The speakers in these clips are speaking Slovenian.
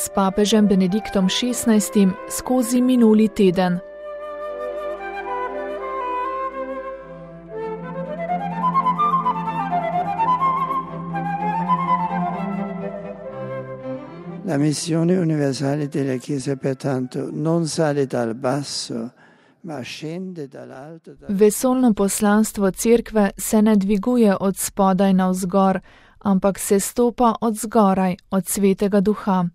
s papežem Benediktom XVI skozi minuli teden. La missione universale della Chiesa pertanto non sale dal basso, ma scende dall'alto. Vesoljno poslanstvo Cerkve se ne dviguje od spodaj navzgor, ampak se stopa od zgoraj, od Svetega Duha.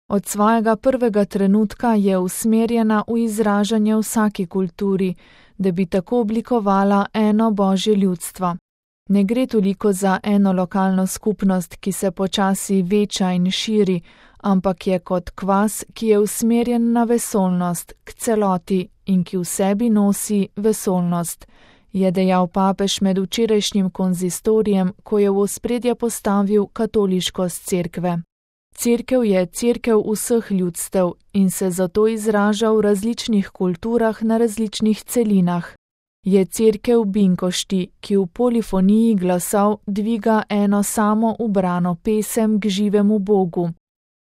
Od svojega prvega trenutka je usmerjena v izražanje vsaki kulturi, da bi tako oblikovala eno Božje ljudstvo. Ne gre toliko za eno lokalno skupnost, ki se počasi veča in širi, ampak je kot kvas, ki je usmerjen na vesoljnost, k celoti in ki v sebi nosi vesoljnost, je dejal papež med včerajšnjim konzistorijem, ko je v ospredje postavil katoliškost Cerkve. Cerkev je cerkev vseh ljudstev in se zato izraža v različnih kulturah na različnih celinah. Je cerkev binkošti, ki v polifoniji glasov dviga eno samo ubrano pesem k živemu Bogu.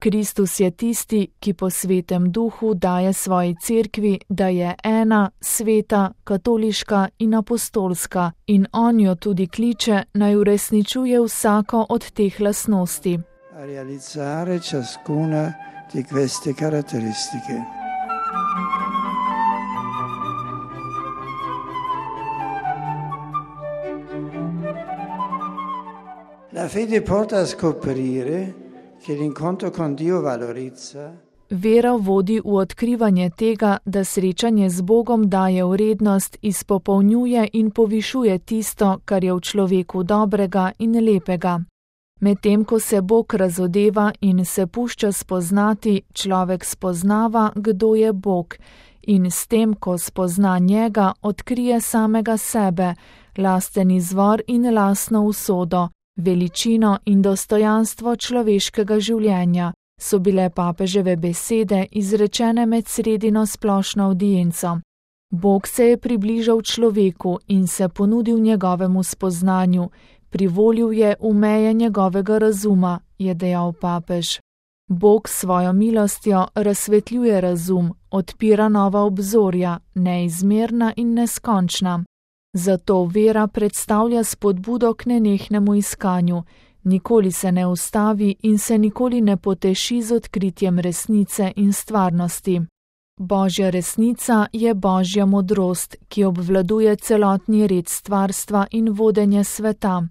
Kristus je tisti, ki po Svetem Duhu daje svoji cerkvi, da je ena, sveta, katoliška in apostolska, in on jo tudi kliče, naj uresničuje vsako od teh lastnosti. A realizzare ciascuna di queste caratteristiche. La fede porta a scoprire che l'incontro con Dio valorizza. Vera vodi v odkrivanje tega, da srečanje z Bogom daje vrednost, izpopolnjuje in povišuje tisto, kar je v človeku dobrega in lepega. Medtem ko se Bog razodeva in se pušča spoznati, človek spoznava, kdo je Bog, in s tem, ko spozna njega, odkrije samega sebe, lasten izvor in lastno usodo, veličino in dostojanstvo človeškega življenja, so bile papeževe besede izrečene med sredino splošno avdienco. Bog se je približal človeku in se ponudil njegovemu spoznanju, privolil je v meje njegovega razuma, je dejal papež. Bog s svojo milostjo razsvetljuje razum, odpira nova obzorja, neizmerna in neskončna. Zato vera predstavlja spodbudo k nenehnemu iskanju, nikoli se ne ustavi in se nikoli ne poteši z odkritjem resnice in stvarnosti. Božja resnica je Božja modrost, ki obvladuje celotni red stvarstva in vodenje sveta.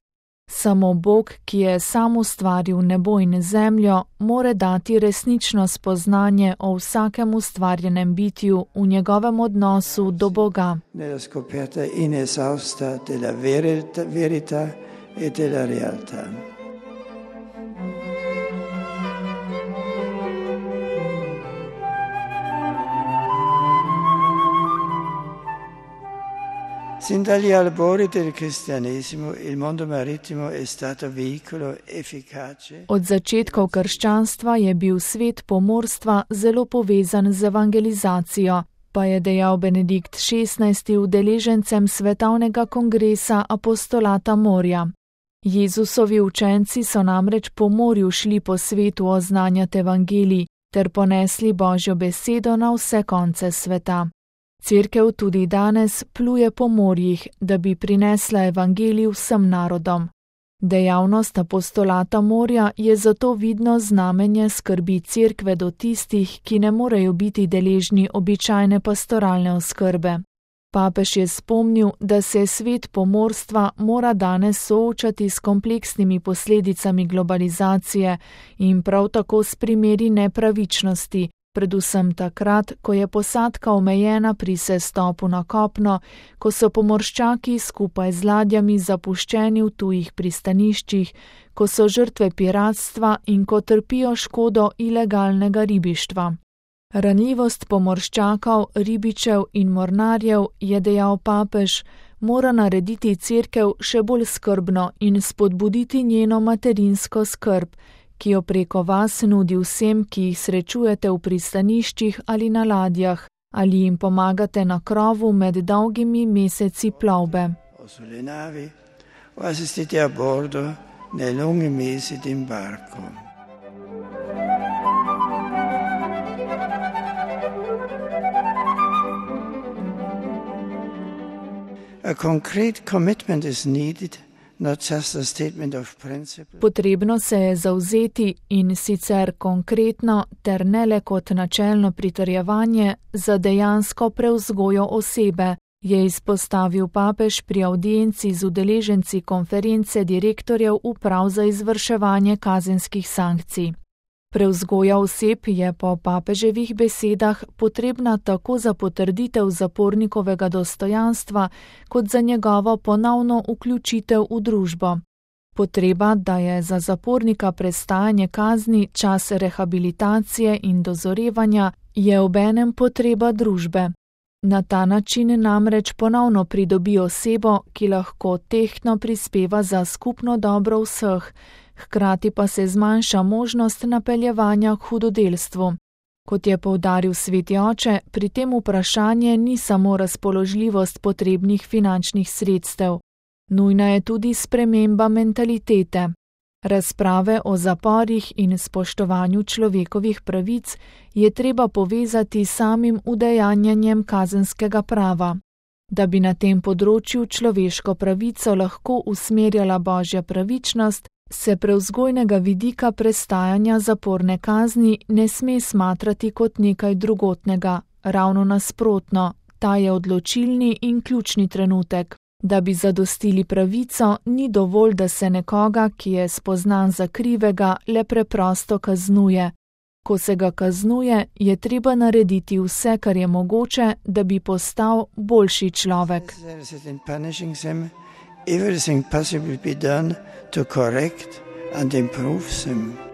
Samo Bog, ki je sam ustvaril nebo in zemljo, more dati resnično spoznanje o vsakem ustvarjenem bitju v njegovem odnosu do Boga. Nella scoperta inesausta della verità e della realtà. Sin dagli albori del cristianesimo il mondo marittimo è stato veicolo efficace. Od začetkov krščanstva je bil svet pomorstva zelo povezan z evangelizacijo, pa je dejal Benedikt XVI udeležencem Svetovnega kongresa apostolata morja. Jezusovi učenci so namreč po morju šli po svetu oznanjati evangelij ter ponesli Božjo besedo na vse konce sveta. Cerkev tudi danes pluje po morjih, da bi prinesla evangelij vsem narodom. Dejavnost apostolata morja je zato vidno znamenje skrbi cerkve do tistih, ki ne morejo biti deležni običajne pastoralne oskrbe. Papež je spomnil, da se svet pomorstva mora danes soočati s kompleksnimi posledicami globalizacije in prav tako s primeri nepravičnosti, predvsem takrat, ko je posadka omejena pri sestopu na kopno, ko so pomorščaki skupaj z ladjami zapuščeni v tujih pristaniščih, ko so žrtve piratstva in ko trpijo škodo ilegalnega ribištva. Ranljivost pomorščakov, ribičev in mornarjev, je dejal papež, mora narediti cerkev še bolj skrbno in spodbuditi njeno materinsko skrb, ki jo preko vas nudi vsem, ki jih srečujete v pristaniščih ali na ladjah, ali jim pomagate na krovu med dolgimi meseci plovbe. Sulle navi o assistite a bordo nei lunghi mesi d'imbarco. A concrete commitment is needed, not just a statement of principle. Potrebno se je zavzeti in sicer konkretno ter ne le kot načelno pritrjevanje za dejansko prevzgojo osebe, je izpostavil papež pri avdienci z udeleženci konference direktorjev uprav za izvrševanje kazenskih sankcij. Prevzgoja oseb je po papeževih besedah potrebna tako za potrditev zapornikovega dostojanstva, kot za njegovo ponovno vključitev v družbo. Potreba, da je za zapornika prestajanje kazni čas rehabilitacije in dozorevanja, je obenem potreba družbe. Na ta način namreč ponovno pridobi osebo, ki lahko tehtno prispeva za skupno dobro vseh, hkrati pa se zmanjša možnost napeljevanja k hudodelstvu. Kot je poudaril sveti oče, pri tem vprašanje ni samo razpoložljivost potrebnih finančnih sredstev. Nujna je tudi sprememba mentalitete. Razprave o zaporih in spoštovanju človekovih pravic je treba povezati s samim udejanjanjem kazenskega prava. Da bi na tem področju človeško pravico lahko usmerjala božja pravičnost, se prevzgojnega vidika prestajanja zaporne kazni ne sme smatrati kot nekaj drugotnega, ravno nasprotno, ta je odločilni in ključni trenutek. Da bi zadostili pravico, ni dovolj, da se nekoga, ki je spoznan za krivega, le preprosto kaznuje. Ko se ga kaznuje, je treba narediti vse, kar je mogoče, da bi postal boljši človek. Everything possible be done to correct and improve them.